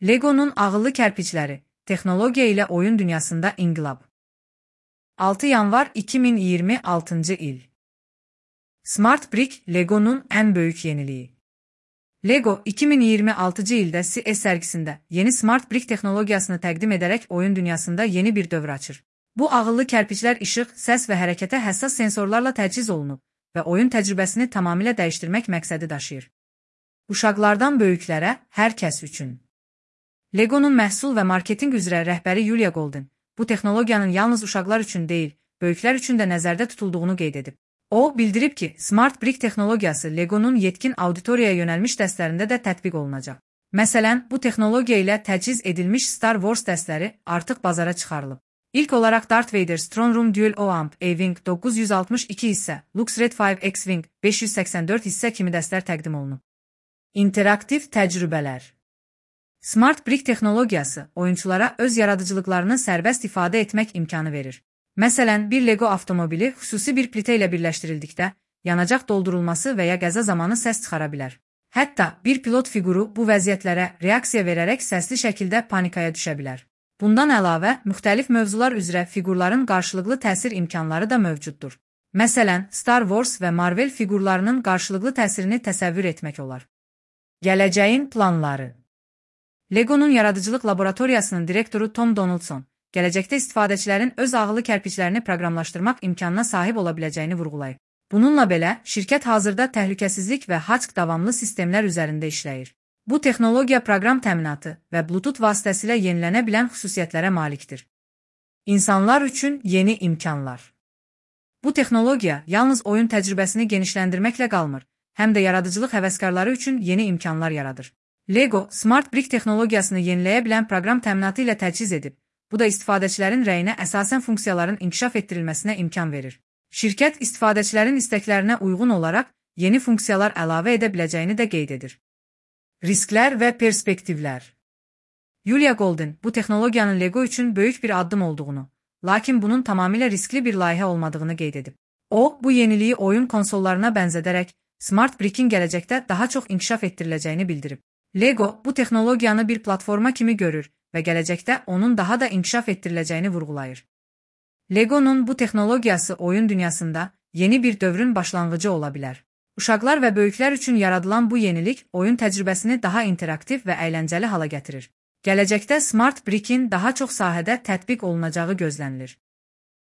Lego'nun ağıllı kərpicləri, texnologiya ilə oyun dünyasında inqilab. 6 yanvar 2026 il. Smart Brick Lego'nun ən böyük yeniliyi. Lego 2026 ildə CES sərgisində yeni Smart Brick texnologiyasını təqdim edərək oyun dünyasında yeni bir dövr açır. Bu ağıllı kərpiclər işıq, səs və hərəkətə həssas sensorlarla təchiz olunub və oyun təcrübəsini tamamilə dəyişdirmək məqsədi daşıyır. Uşaqlardan böyüklərə, hər kəs üçün. Lego'nun məhsul və marketinq üzrə rəhbəri Julia Golden, bu texnologiyanın yalnız uşaqlar üçün deyil, böyüklər üçün də nəzərdə tutulduğunu qeyd edib. O, bildirib ki, Smart Brick texnologiyası Lego'nun yetkin auditoriyaya yönəlmiş dəstlərində də tətbiq olunacaq. Məsələn, bu texnologiya ilə təchiz edilmiş Star Wars dəstləri artıq bazara çıxarılıb. İlk olaraq Darth Vader Throne Room Dual O-Amp A-Wing 962 hissə, Lux Red 5 X-Wing 584 hissə kimi dəstlər təqdim olunub. İnteraktiv təcrübələr. Smart Brick texnologiyası oyunçulara öz yaradıcılıqlarını sərbəst ifadə etmək imkanı verir. Məsələn, bir Lego avtomobili xüsusi bir plitə ilə birləşdirildikdə, yanacaq doldurulması və ya qəza zamanı səs çıxara bilər. Hətta bir pilot fiquru bu vəziyyətlərə reaksiya verərək səsli şəkildə panikaya düşə bilər. Bundan əlavə, müxtəlif mövzular üzrə fiqurların qarşılıqlı təsir imkanları da mövcuddur. Məsələn, Star Wars və Marvel fiqurlarının qarşılıqlı təsirini təsəvvür etmək olar. Gələcəyin planları. Lego'nun yaradıcılıq laboratoriyasının direktoru Tom Donaldson, gələcəkdə istifadəçilərin öz ağıllı kərpiclərini proqramlaşdırmaq imkanına sahib ola biləcəyini vurğulayıb. Bununla belə, şirkət hazırda təhlükəsizlik və HACCP davamlı sistemlər üzərində işləyir. Bu texnologiya proqram təminatı və Bluetooth vasitəsilə yenilənə bilən xüsusiyyətlərə malikdir. İnsanlar üçün yeni imkanlar. Bu texnologiya yalnız oyun təcrübəsini genişləndirməklə qalmır, həm də yaradıcılıq həvəskarları üçün yeni imkanlar yaradır. Lego, Smart Brick texnologiyasını yeniləyə bilən proqram təminatı ilə təchiz edib. Bu da istifadəçilərin rəyinə əsasən funksiyaların inkişaf etdirilməsinə imkan verir. Şirkət istifadəçilərin istəklərinə uyğun olaraq yeni funksiyalar əlavə edə biləcəyini də qeyd edir. Risklər və perspektivlər. Julia Golden bu texnologiyanın Lego üçün böyük bir addım olduğunu, lakin bunun tamamilə riskli bir layihə olmadığını qeyd edib. O, bu yeniliyi oyun konsollarına bənzədərək Smart Brick'in gələcəkdə daha çox inkişaf etdiriləcəyini bildirib. Lego bu texnologiyanı bir platforma kimi görür və gələcəkdə onun daha da inkişaf etdiriləcəyini vurğulayır. Lego'nun bu texnologiyası oyun dünyasında yeni bir dövrün başlanğıcı ola bilər. Uşaqlar və böyüklər üçün yaradılan bu yenilik oyun təcrübəsini daha interaktiv və əyləncəli hala gətirir. Gələcəkdə Smart Brick'in daha çox sahədə tətbiq olunacağı gözlənilir.